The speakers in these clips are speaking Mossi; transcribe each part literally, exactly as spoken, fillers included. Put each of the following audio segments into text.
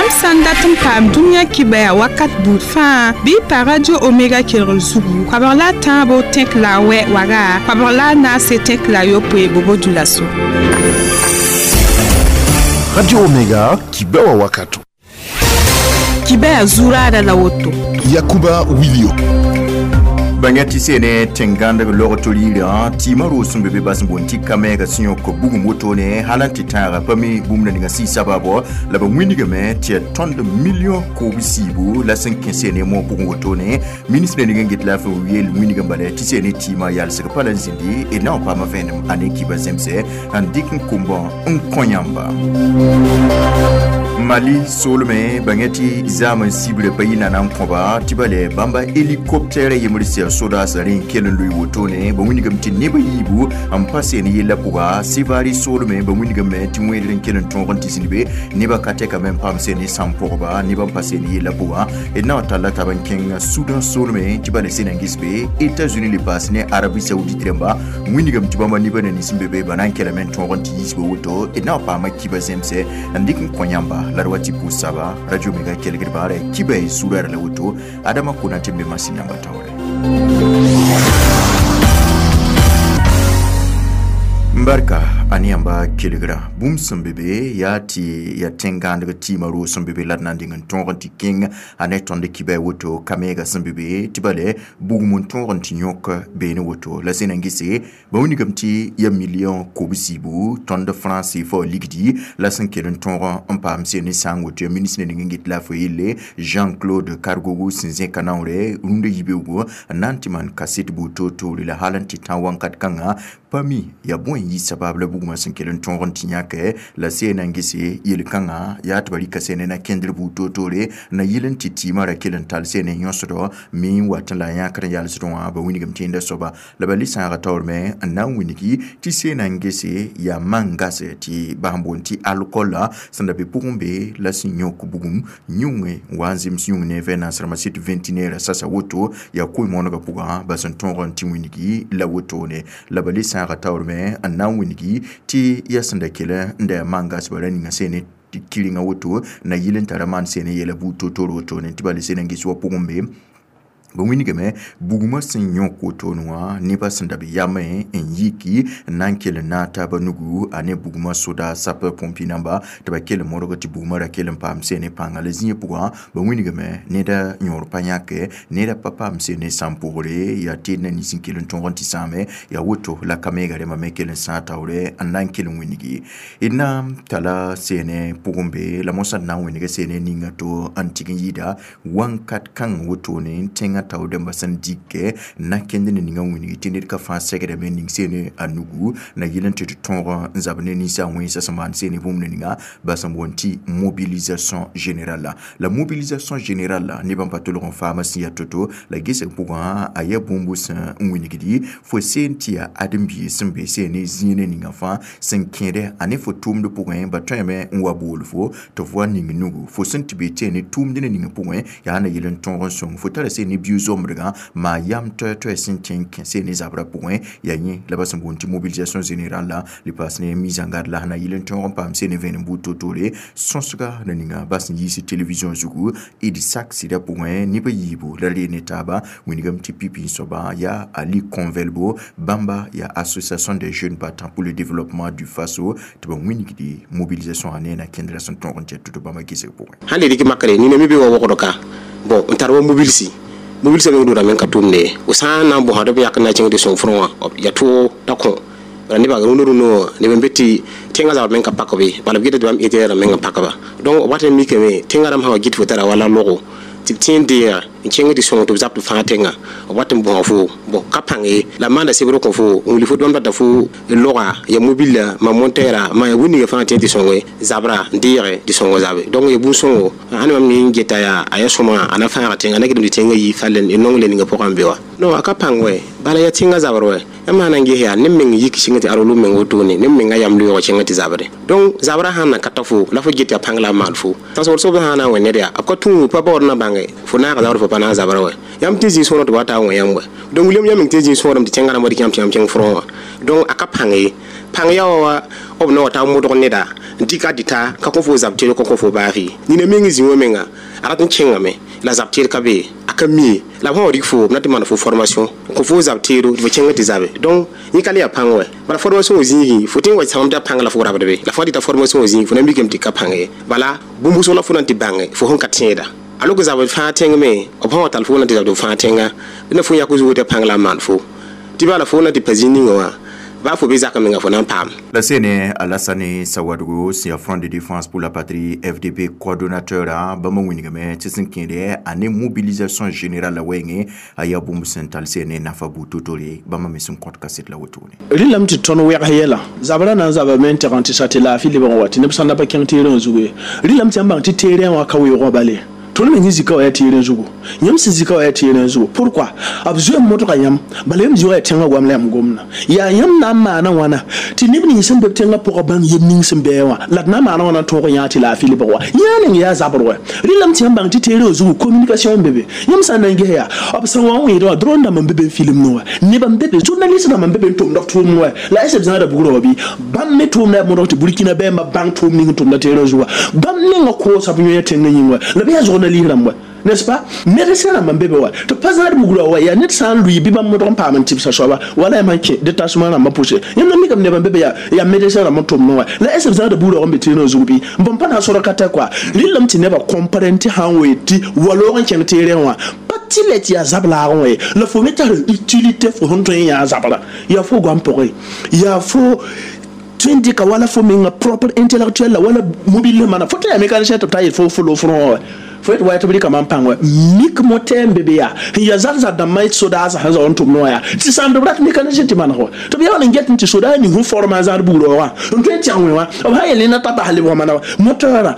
Yãmb sã n dat n paam dũniyã kibaya wakat buud fãa bɩ y pa Radio Omega kelgr zugu koabg la a tãabo tẽk la a wɛ waga koabg la a naase tẽk la a yopoe bobo dulaso. Radio Omega kibewa wakato. Kibaya zuraada la woto. Yakuba Wilio. Bãnga tɩ sene tẽn-gãndg log to-riirã tɩɩmã roog sẽn be be bas n boond tɩ kamɛɛga sẽn yõk bugum wotone hal n tɩ tãaga pa mi bũmb na ninga sɩɩ sabaabo la ba wĩnigame tɩ yaa tõnd million koob siibu la sẽn kẽ sene moog pʋgẽ wotone ministre ning n get laafɩ yeel wĩnigã bala tɩ sene tɩɩmã yalsg pa la n zĩndi d na n paama vẽenem a ne kiba zemsɛ n dɩk n kombã n kõ yãmba. Mali soolmẽ bãnga tɩ zaam n sibra pa yɩ nana n kõba tɩ ba lɛ bãmba hélicoptère yembr sɩa sodaasã rẽ n kell n loe wotone ba wĩnigame tɩ nebã yiibu n pa seen yella pʋga Sevari soolmẽ ba wĩnigame tɩ wẽedr n kell n tõog n tɩ zĩnd be nebã ka tɛkame n paam seen ne sãn pʋgba nebã n pa seen yella pʋga d na n talla tab n kẽng Sudan soolmẽ tɩ ba le seen n ges be États-Unis le paas ne Arabie Saoudite rãmba wĩnigame tɩ bãmba nebã na nins n be be ba na n kelame n tõog n tɩ yiisba woto d na n paama kiba zemsɛ n dɩk n kõ yãmba la d wa tɩ pʋʋs saba Radio Omega kelgd baara kiba y zurara la woto Adama Konate n be masin yãmba taoore. Barka ane yãmba kelgra bũmb sẽn be be yaa tɩ yaa tẽn-gãandg tɩɩmã roog sẽn be be la d na n deng n tõog n tɩ kẽng a ne tõnd kiba a woto kamɛɛga sẽn be be tɩ bale bugum n tõog n tɩ yõk beene woto la zẽna n gese ba wilgame tɩ ya million kob-siibu tõnd franc C F A ligdi la sẽn kell n tõog n paam seen ne sãang woto ya ministre ning n get laafɩ yelle Jean-Claude Kargougou sẽn zẽka naoore rũndã yibeoogo n na n tɩ maan kaset buud toor-toore la hal n tɩ tã wãnkat kãngã pa mi yaa bõe n yɩ sabab la bugmã sẽn kell n tõog n tɩ yãke la seena n gese yel-kãngã yaa tɩ ba rɩka sene na kẽndr buud toor-toore na yɩl n tɩ tɩɩmã ra kell n tall sene yõsdɔ me n wat n la a yãkr n yalsdẽ wã ba wilgame tẽedã soaba la ba le sãaga taoor me n na n wilgi tɩ seena n gese yaa man-gasɛ tɩ bas n boond tɩ alcool la sẽn da be pʋgẽ be la sẽn yõk bugum yũngẽ n wa n zems yũng ne vẽnaasrãmbã sɩd vingtine sasa woto yaa koe-moonegã pʋgã ba sẽn tõog n tɩ wilgi la wotone la ba le sãaga taoor me n na n wilgi tɩ yaa sẽn da kell n da yaa man-gasbã ra ninga sene kɩrenga woto na yɩl n tara maan sene yɛla buud to-toor wotone tɩ ba le sene n ges wa pʋgẽ be ba wĩnigame bugmã sẽn yõk wotone wã nebã sẽn da be yamẽ n yiki n na n kell n naag taabã nugu a ne bugmã soda sapeur pompier namba tɩ ba kell n modg tɩ bugmã ra kell n paam sene pãnga la zĩig pʋgã ba wĩnigame neda yõor pa yãke neda pa paam sene sãn pʋgre yaa teed na nins n kell n tõog n tɩ sãame yaa woto la kamɛɛga rẽmbã me kell n sãag taoore n na n kell n wĩnigi d na n tala sene pʋgẽ be la mosã d na n wĩnga sene ninga to n tɩg n yɩɩda wãnkat kãng wotone n tẽngã taoor dãmbã sẽn dɩkɛ na kẽnd ne ninga wĩngi tɩ ned ka fãa segdame ning sene a nugu na yɩl n tɩ tɩ tõog n zab ne ninsã wẽnsã sẽn maan sene bũmb ninga ba sẽn boond tɩ mobilisation générale. La mobilisation générale nebã n pa tolg n faama sẽn yaa to-to la gesg pʋgã a yaa bũmb sẽn n wĩnigdi fo seen tɩ yaa ãdem-biis sẽn be sene zĩiné ninga fãa sẽn kẽede a ne fo tʋʋmd pʋgẽ ba tõeme n wa bool fo tɩ fo wa ning nugu fo sẽn tɩ be tɩ tʋʋmd ne ninga pʋgẽ yaa na yɩl n tõog n sõng fo tara sene bio-zombrgã maa yam toɛ-toɛ sẽn kẽ n kẽ sene zabrã pʋgẽ yaa yẽ la ba sẽn boond tɩ mobilisation générale la le paas ne mise en garde la sẽn na yɩl n tõog n paam sene vẽenem buud to-toore sõsga la ninga ba sẽn yiis télévision zugu d sak sɩdã pʋgẽ nebã yiibu la ree ne taaba wĩnigame tɩ pipi soaba yaa Ali Convelbo bãmba yaa Association des jeunes battants pour le développement du Faso tɩ ba wĩnigdi mobilisation a ne na kẽndrã sẽn tõog n tɩ tɩ bãmba gesg pʋgẽ. Sãn le dɩk makre nina mi be wa wogdo ka bon n tar wa mobilisi mobilisa meng dora men ka tʋmde o sã n na n bõsd b yak n na kẽng tɩ sõng frõ wã ya tʋʋg t'a kõ bala nebã rũndã rũndã wã neb n be tɩ tẽngã zabr meng ka pak be bala b geta tɩ bãmb ẽtɩ meng n pakba donc b wat n mikame tẽngã rãmb sã wa gɩt fo tara wala logo tɩ b tẽ n deega n kẽng tɩ sõng tɩ b zab tɩ fãa tẽngã b wat n bõsa fo bon ka pãng ye la maanda sebr kõ fo n wilg fo tɩ bãmb data fo loga ya mobila ma montɛɛra ma ya wĩnigã fãa tẽ tɩ sõnge zabra n deege tɩ sõng zabe donc ya bũn-sõngo ãn mam ne n geta yaa a yaa sõma a na fãaga tẽngã a na gɩdem tɩ tẽngã yi fall n nong le ninga pʋgã n be wa non a ka pãng wɛ bala yaa tẽngã zabr wɛ yãmb sã na n ges yaa neb meng yik sɩngã tɩ arolu meng wotone neb mengã yam loeego kẽngã tɩ zabre donc zabrã sãn na ka ta fo la fo get yaa pãng la a maan fo tãnsgr soab sã n na n wẽ ned yaa b ka tũ pa baood na bãnge fo naaga zabr fo pa na n zabra wɛ yãmb tɩ zĩ sõor tɩ wa taa wẽ yãmb wɛ donc william yãmb meng tɩ zĩ sõorem tɩ tẽngã rãmb dɩk yãmb tɩ yãmb kẽng frõ wã donc a ka pãng ye pãng yaa wa b na wa taa modg neda n dɩka dɩta ka kõ fo zab teed kõ kõ fo baagi nina meng zĩ wã menga a rat n kẽngame la zab teed ka be a ka mi la b sã wa rig fo b na tɩ maan fo formation n kõ fo zab teedo tɩ fo kẽng tɩ zabe donc yẽ ka le yaa pãng wɛ bala formation wã zĩigẽ fo tõe n wa sãmb tɩ a pãng la fo rabd be la fo dɩta formation wã zĩig fo na mikame tɩ ka pãng ye bala bũmb wʋsg la fo na n tɩ bãnge fo sẽn ka tẽeda alors que zabd fãa tẽng me b sã wa tall fo na tɩ zabd fãa tẽnga na fo yak zugu tɩ pãng la n maan fo tɩ bala fo na tɩ pa zĩ ninga wã baa fo be zak menga fo na n paam. La sene Alassane Sawadogo sẽn yaa Front de défense pour la patrie F D P coordonnateur a bãmb wĩnigame tɩ sẽn kẽede a ne mobilisation générale la wɛɛngẽ a yaa bũmb sẽn tall sene nafa bu to-tore bãmb me sẽn kõt kaset la wotone. Rɩlame tɩ tõnd wɛgs yɛla zabrã na n zabame n tɛg n tɩ sa tɩ laafɩ lebg n wa tɩ neb sãn da pa kẽng teerẽ zugu ye rɩlame tɩ yãmb bãng tɩ teerẽ wã ka weoogã bale tõnd meng zika wa yaa teerẽ zugu yãmb sẽn zika wa yaa teerẽ zugu pourquoi b zoe n modga yãmb bala yãmb zoa yaa tẽngã goam la yãmb gomna yaa yãmb na n maana wãna tɩ neb nins sẽn be b tẽngã pʋgã bãng yem ning sẽn bɩ wã la d na n maana wãna n tõog yã tɩ laafɩ lebg wa yã ning yaa zabr wɛ rɩlame tɩ yãmb bãng tɩ teerẽ zugu communication n be be yãmb sã n na n ges yaa b sẽn wa n wẽed wã drone dãmb n be be n film wã nebã n be be journaliste dãmb n be be n tʋmd b tʋʋmd wɛ la s b zãada bugrã wa bɩ bãmb me tʋʋmda yaa modg tɩ Burkina bɛɛmbã bãng tʋʋm ning n tʋmda teerẽ zugu wã bãmb mengã koosa b yõ tẽngã yĩng wɛ la bɩ yaa zʋgna liis rãmb wɛ, n'est-ce pas? Médecin rãmb n be be wa tɩ pa zãad bugrã wa yaa ned sã n lʋɩ bɩ bãmb modg n paam n tɩbsa soaba wala yaa man kẽ détachement rãmbã pʋse yãmb na mikame neb n be be yaa yaa médecin rãmb n tʋmd wã la est ce b zãada bugrã n be teerẽ zug bɩ n bõn pa na n sora ka tɛ kɔa rɩlame tɩ nebã comprendre tɩ sã n wee tɩ waloog n kẽng teerẽ wã pa tɩ lɛ tɩ yaa zab laagẽ wã ye la fo me tar utilité fo sẽn tõe n yã zabra yaa fo goam pʋgẽ yaa fo tõe n dɩka wala fo menga propre intellectuel la wala mobile mana fo tɩ yaa mécanicien tɩ b ta yet fo fo lo front wã fo yet wa tɩ b rɩka mam pãng wɛ mik motɛɛ n be be yaa n yaa zar-zar dãmbã sodaasã sẽn zao n tʋmd wã yaa tɩ sãn b rat mécanicien tɩ maneg wa tɩ b yaa n get tɩ sodaa ning sẽn forma zãad bugrã wã n tõe n tɛg wẽ wã b sã yel ned t'a bas lebg mana moteurã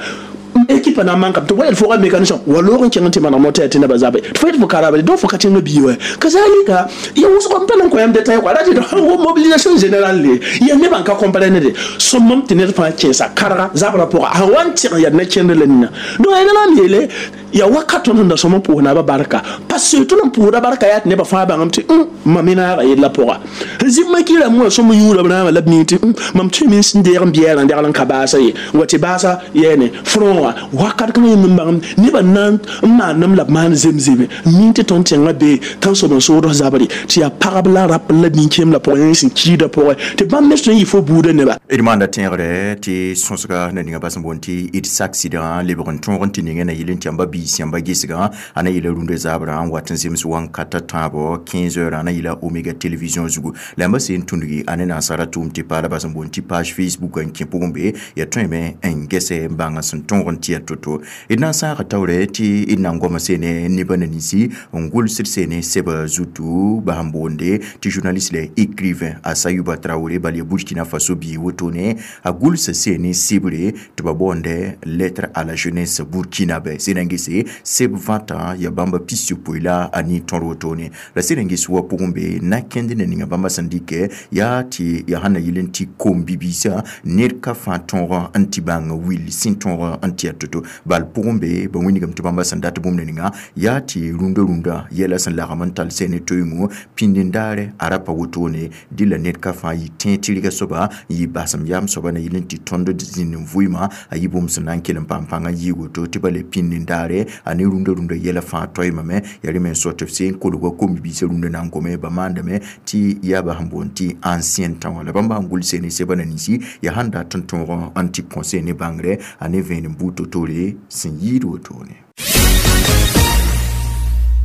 équipe na manka tɩ wa yel fo mécanicien wa loog n kẽng tɩ maneg moteur tɩ nebã zabe tɩ fo yet fo karabe donc fo ka tẽngã bii wɛ kazalika ya wʋsg n pa na n kõ yãmb détail kɔa ra tɩ wo mobilisation générale le ya nebã n ka comprendre de sõmam tɩ ned fãa kẽesa karga zabrã pʋga sã wa n tɩg n yaa na kẽnd la nina donc yaa la m yeele ya wakat tõnd sẽn da sõm n pʋʋs naabã barka parce que tõnd n pʋʋsda barka yaa tɩ nebã fãa bãngame tɩ mam me naaga yella pʋga zĩmã kɩrame wã sõm yũuda b rãamã la b ning tɩ mam tõeme n sẽn deeg n biɛɛrã degl n ka baasa ye wa tɩ baasa yɛɛne front wã wakat kãngã yẽmb n bãngame nebã na n maandem la b maan zemzeme ning tɩ tõnd tẽngã bee tãnsoab n soodg zabre tɩ yaa pagb la rap la nin-kẽem la pʋgẽ yẽ sẽn kiidã pʋgẽ tɩ bãmb me tõe n yɩ fo buudã neba. D maanda tẽegre tɩ sõsga na ninga bas n boond tɩ d accident lebg n tõog n tɩ ninga na yel n tɩ yãmba biis yãmba gesgã a na yeela rũndã zabrã n wat n zems wãn-kata tãabo quinze heures a na yeela Omega télévision zugu la yãmba sẽn tũndgi a ne nansara tʋʋm tɩ paala bas n boond tɩ page Facebook n kẽ pʋgẽ be ya tõeme n gɛsɛ n bãng sẽn tõog n tɩ ya to-to d na n sãaga taoorɛ tɩ d na n goama seene nebã na ninsi n gʋlsd seene sɛba zutu bas n boonde tɩ journaliste la écrivain a Sayuba Traoré bal ya Burkina Faso bii wotone a gʋlsa seene sɩbre tɩ ba boonde Lettre à la jeunesse burkinabé sẽn n gese seb vãtã ya bãmba pis-yopoe la a ne tõr wotone la sẽn n ges wa pʋgẽ be na kẽnd ne ninga bãmba sẽn dɩkɛ yaa tɩ ya sãn na yɩl n tɩ kom-bibiisã ned ka fãa tõog n tɩ bãng will sẽn tõog n tɩ ya to-to bal pʋgẽ be ba wĩnigame tɩ bãmba sẽn dat bũmb ne ninga yaa tɩ rũndã rũndã yɛla sẽn lagm n tall sẽne toengo pĩnd-n-daare a ra pa wotone dɩla ned ka fãa yɩ tẽ tɩrgã soaba n yɩ basem yam soaba na yɩl n tɩ tõnd zĩnd n vʋɩɩmã a yɩ bũmb sẽn na n kell n paam pãngã yɩɩ woto tɩ ba le pĩnd-n-daare a ne rũndã rũndã yɛla fãa toeemame yaa rẽ me n sao tɩ b seen kolga kom-bibiisã rũndã na n gome ba maandame tɩ yaa ba sẽn boond tɩ ancien tã wã la bãmb sãn gʋls ne sɛba na ninsi yaa sãn dat n tõog n tɩ kõ ne bãngrɛ a ne vẽenem buud to-tore sẽn yɩɩd wotone.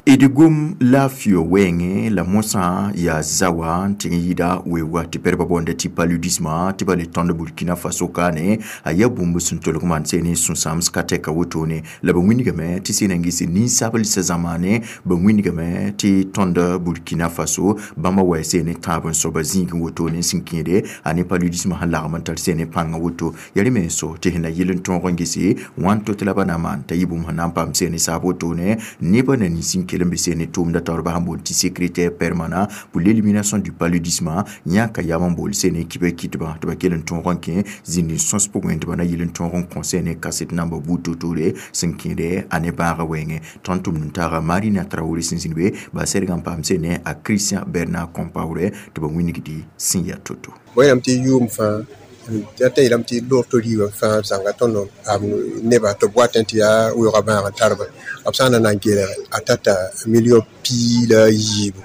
D gom laafɩ wɛɛngẽ la mosã yaa zawa n tɩg n yɩɩda weoogã tɩ pɛrba boonda tɩ paludisme tɩ ba le tõnd Burkina Faso kaane a yaa bũmb sẽn tolg maan sẽn ne sũ-sãams ka tɛka wotone la ba wĩnigame tɩ sẽn na n ges ninsabls zamaane ba wĩnigame tɩ tõnd Burkina Faso bãmba wa sẽn ne tãab n soaba zĩigẽ wotone sẽn kẽede a ne paludisme sẽn lagm n tar sẽn ne pãngã woto yaa rẽ me n so tɩ sẽn na yɩl n tõog n gese wãn to tɩ la ba na maan t'a yɩ bũmb sẽn na n paam sẽn ne saab wotone nebã na nins n kell n be sẽn ne tʋʋmda taoor ba sẽn boond tɩ secrétaire permanent pour l'élimination du paludisme yãka yam n bool sẽn ne kibã kɩtbã tɩ ba kell n tõog n kẽ zĩnd n sõs pʋgẽ tɩ ba na yɩl n tõog n kõ sẽn ne kaset namba buud to-tore sẽn kẽede a ne bãagã wɛɛngẽ tõnd tʋmd n taaga Marina Traoré sẽn zĩnd be ba sɛdg n paam sẽn ne a Christian Bernard Compaoré tɩ ba wĩnigdi sẽn yaa to-to. Wẽnnaam tɩ yʋʋm fãa Tɩ yeelame tɩ loog to riibã fãa b zãnga tõnd n paam nebã tɩ b watẽ tɩ yaa weoogã bãag n tar-ba b sã n na n kelg a tata million piig la a yiibu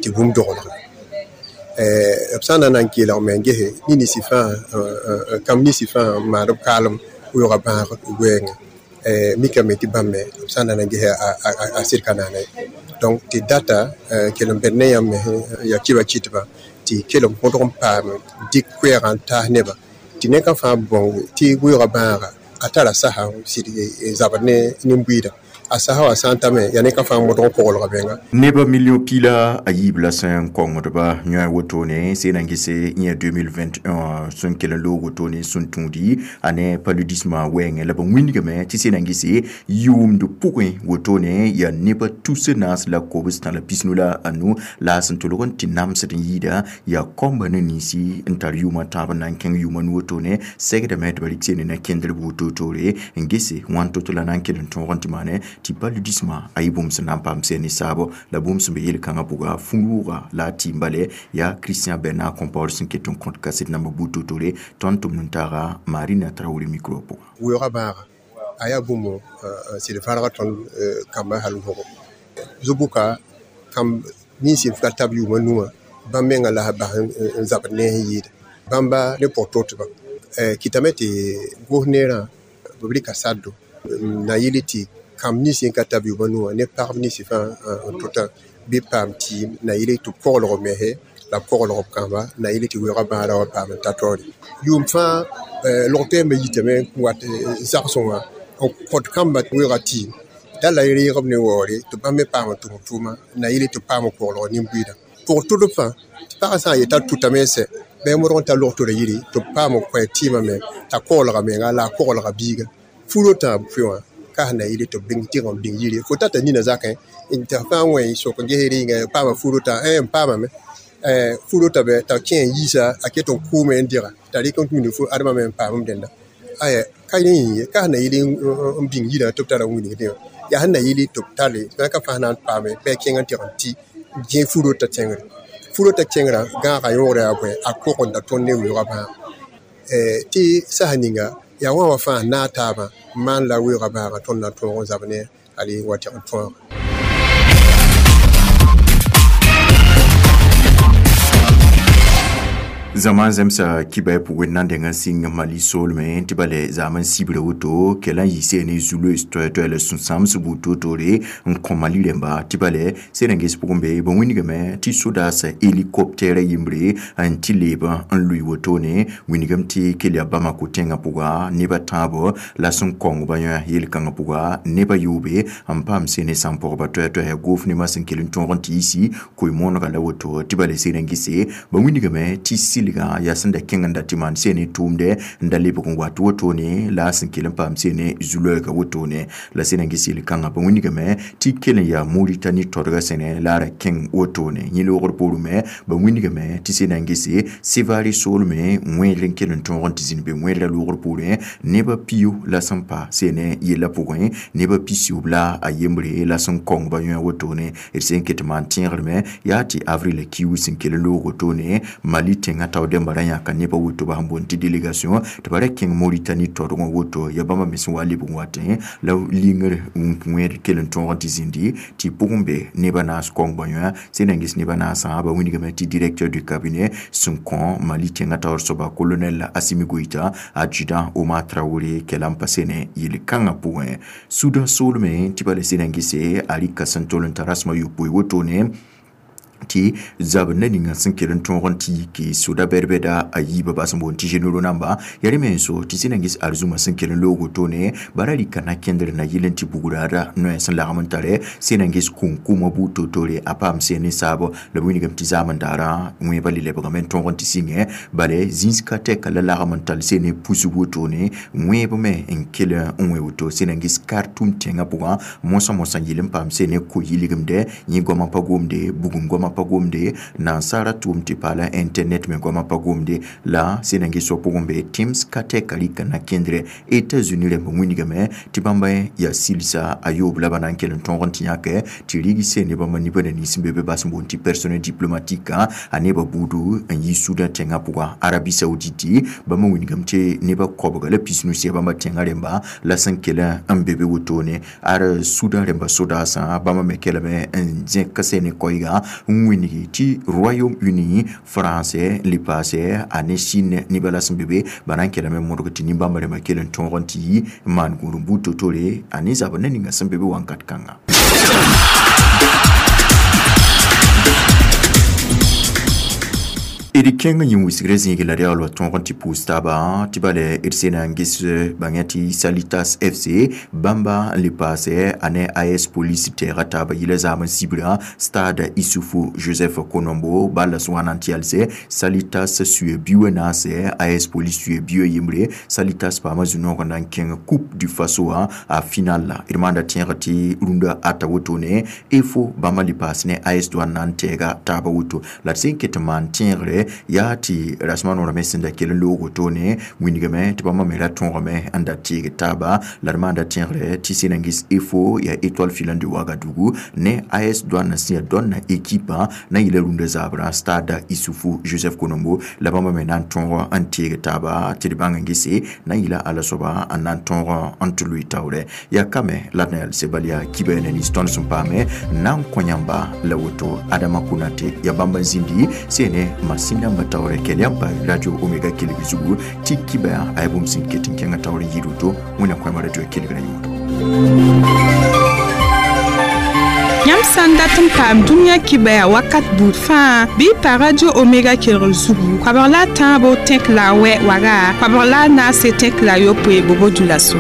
tɩ bũmb doglga b sã n na n kelg me n gese nins fãa kãmb ninsi fãa n maand b kaalem weoogã bãag wɛɛngẽ mikame tɩ bãmb me b sã n na n gese a sɩd ka naana ye donc tɩ data kell n bẽd ne yãmb me yaa kiba kɩtbã tɩ kell n põdg n paam dɩk koɛɛgã n taas nebã tɩ neka fãa bõng tɩ weoogã bãaga a tara sasa sɩd zabd ne nin-buiidã a sasa wã sã n tame yaa neka fãa modg n koglga menga neba million pila a yiib la sẽn kongdba yõ wotone sẽn na n gese yẽ deux mille vingt et un sẽn kell n loog wotone sẽn tũudi a ne paludisme wɛɛngẽ la b wĩndgame tɩ sẽn na n gese yʋʋmd pʋgẽ wotone yaa neba tus naas la kobs tã la pisnu la a nu la a sẽn tolg n tɩ namsd n yɩɩda yaa kɔmba ne ninsi n tar yʋʋmã tãab n na n kẽng yʋʋmã nu wotone segdame tɩ ba rɩk seene na kẽndr woto-toore n gese wãn to-to la na n kell n tõog n tɩ maane tɩ paludisme a yɩ bũmb sẽn na n paam sẽn ne saabo la bũmb sẽn be yel-kãngã pʋga fũrʋʋga la a tɩɩm bale yaa Christian Bernard Compaoré sẽn ket n kõt kaset namba buud to-tore tõnd tʋmd n taaga Marina Traoré micro pʋga. Weoogã bãaga a yaa bũmb sɩd fãrga tõnd kambã hal wʋgo zu-bʋka kãmb nins n ka tab yʋʋmã nuwã bãmb menga la bas n zabd ne n yɩɩda bãmba ne pʋg totbã kɩtame tɩ gos neerã b rɩka saddo na yɩl tɩ kãmb nins n ka tab yʋʋmã nuwã ne pagb ninsi fãa n tota bɩ paam tɩɩm na yɩl tɩ b koglg b mese la b koglg b kãmba na yɩl tɩ weoogã bãada wa paam n ta taoore yʋʋm fãa log toɛɛmbã yitame n wat zagsẽ wã n kõt kãmbã weoogã tɩɩm da la reegb ne waoore tɩ bãmb me paam n tʋm tʋʋma na yɩl tɩ b paam n koglg nin-buiidã pʋg tʋdb fãa tɩ pagã sã n yeta tʋtame n sɛ bɩ modg n ta log tora yiri tɩ b paam n kõ tɩɩmã me t'a koglga menga la a koglga biiga furo tãab pʋɩ wã ka sẽn na yɩl tɩ b bĩng tɩg n bĩng yiri fo tata nina zakẽ n tɩ fãa wẽ sok n ges rɩnga paama furo tã n paamame furo t'a bɛ t'a kẽ n yiisa a ket n kʋʋme n dɩga t'a rɩk n tũud fo admã me n paam dẽnda aya ka rẽ yĩng ye ka sẽn na yɩl n bĩng yirã tɩ b tara wilgdẽ wã yaa sẽn na yɩl tɩ b tare ka fãa na n paame bɩ a kẽng n tɩg n tɩ gẽ furo t'a tẽngre furo t'a kẽngrã gãagã yõogrã yaa bõe a kogenda tõnd ne weoogã bãag tɩ sasa ninga yaa wã wã fãa naag taabã n maan la weoogã bãagã tõnd na tõog n zab ne hal wa tɩg n tõoga. Zaman zemsa kiba pʋgẽ na n deng n sɩng Mali soolmẽ tɩ bale zaam n sibra woto kɛla n yɩ ne zulus toɛ-toɛ la sũ-sãams buud toor-toore n kõ Mali rẽmba tɩ bale sẽn n ges pʋgẽ be b wĩndgame tɩ sodaas hélicoptère yembre n tɩ leeb n lʋɩ wotone wĩndgame tɩ kell yaa Bamako tẽngã pʋga neba tãabo la sẽn kongba yõ yel-kãngã pʋga neba yoobe n paam sene sãn-pɔgba toɛ-toɛ goof nemã sẽn kell n tõog n tɩ yisi koe-moonega la woto tɩ bale sẽn n gese ba wĩndgame tɩ silgã yaa sẽn da kẽng n da tɩ maan sene tʋʋmdɛ n da lebg n wat wotone la a sẽn kell n paam sene zu-loɛɛga wotone la sẽn n ges yel-kãngã ba wĩndgame tɩ kell n yaa Moritani todgã sẽne la a ra kẽng wotone yẽ loogr poorẽ me ba wĩndgame tɩ sẽn n gese Sevari soolmẽ wẽedr n kell n tõog n tɩ zĩnd be wẽedrã loogr poorẽ neba pio la sẽn pa sene yellã pʋgẽ neba pisiyoob la a yembre la sẽn kongba yõ wotone d sẽn ket maan tẽegr me yaa tɩ avril kiu sẽn kell n loog wotone Mali tẽngã tao dẽmba ra yãka nebã woto ba sẽn boond tɩ délégation tɩ ba ra kẽng Moritani todgẽ woto ya bãmba me sẽn wa lebg n watẽ la lingr wẽed kell n tõog n tɩ zĩndi tɩ pʋgẽ be nebã naas kongba yõ sẽn na n ges nebã naasã ba wĩndgame tɩ directeur du cabinet sẽn kõ Mali tẽngã taoor soaba colonel Assimi Goïta adjudant Omar Traoré kɛla n pa sene yel-kãngã pʋgẽ Sudan soolmẽ tɩ bala sẽn na n gese a rɩka sẽn tol n ta rasmã yopoe wotone tɩ zab na ninga sẽn kell n tõog n tɩ yike soda bɛd-bɛda a yiibã bas n boond tɩ généraux namba yaa rẽ me n so tɩ sẽn na n ges arzũmã sẽn kell n loog wotone bara rɩka na kẽndr na yɩl n tɩ bugraada noɛ sẽn lagm n tare sẽn na n ges kũm-kũmã buud to-toore a paam sẽn ne saabo la b wĩndgame tɩ zaam n daara wẽebã le lebgame n tõog n tɩ sɩngẽ bale zĩns ka tɛka la lagm n tall sene pusg wotone wẽeb me n kell n wẽ woto sẽn na n ges Khartoum tẽngã pʋgã mosã mosã yɩl n paam sene ko-yɩlgemdɛ yẽ goamã pa gomde bugum goamã goamã pa gomde nansara tʋʋm tɩ paala internet me goamã pa gomde la sẽn na n ges wã pʋgẽ be Teams ka tɛka rɩka na kẽndrɛ États-Unis rẽmb wĩnigame tɩ bãmba yaa silsa a yoob la ba na n kell n tõog n tɩ yãke tɩ rig se ne bãmba nibã na nins n be be bas n boond tɩ personnel diplomatique a nebã buudu n yi Sudan tẽngã pʋga Arabie Saoudite bãmba wĩnigame tɩ nebã koabga la pisnu sɩ bãmba tẽngã rẽmba la sẽn kell n be be wotone ar Sudan rẽmba sodaasã bãmba me kelame n zẽk se ne koɛɛga n wĩnigi tɩ Royaume-Uni français n le paase a ne Chine nebã la sẽn be be ba na n kelame modg tɩ nin-bãmba rẽmba kell n tõog n tɩ yi n maan gũud n buud to-tore a ne zabr ne ninga sẽn be be wãnkat kãnga. D kẽng yĩn wisgrã zĩig la reagl wa tõog n tɩ pʋʋs taaba tɩ bala d sena n ges bãng tɩ Salitas F C bãmba n le paase a ne A S Police tɛɛga taaba yɩla zaam n sibra Stade Issoufou Joseph Konombo bala sẽn wa na n tɩ yalse Salitas suye biʋ naase A S Police suye biʋ yembre Salitas paama zu-noog n na n kẽng Coupe du Faso wã a final la d maanda tẽeg tɩ rũndã ata wotone E F O bãmba le paas ne A S Douane na n tɛɛga taaba woto la d sẽn ket n maan tẽegre yaa tɩ rasmã noorame sẽn da kell n loog wotone wĩnigame tɩ bãmba me ra tõogame n da teeg taaba la d maanda tẽegre tɩ sẽn na n ges E F O yaa Étoile Filante de Ouagadougou ne A S Douane sẽn yaa dõnna ekipa na n yɩla rũndã zabrã Stade Issoufou Joseph Konombo la bãmba me na n tõog n teeg taaba tɩ d bãng n gese na n yɩla ala-soaba n na n tõog n tɩ lʋɩ taoorɛ yaa kame la d na yalse bal yaa kiba na nins tõnd sẽn paame n na n kõ yãmba la woto Adama Konate yaa bãmb n zĩndi sene masin nãmba taoorɛ kel yãmb pa Radio Omega kelg zugu tɩ kiba a yaa bũmb sẽn ket n kẽngã taoor n yɩɩd woto wẽnnaam koɛɛmã radio kelgrã yõodo. Yãmb sã n dat n paam dũniyã kibaya wakat buud fãa bɩ y pa Radio Omega kelgr zugu koabg la a tãabo tẽk la a wɛ waga koabg la a naase tẽk la a yopoe bobo dũlaso.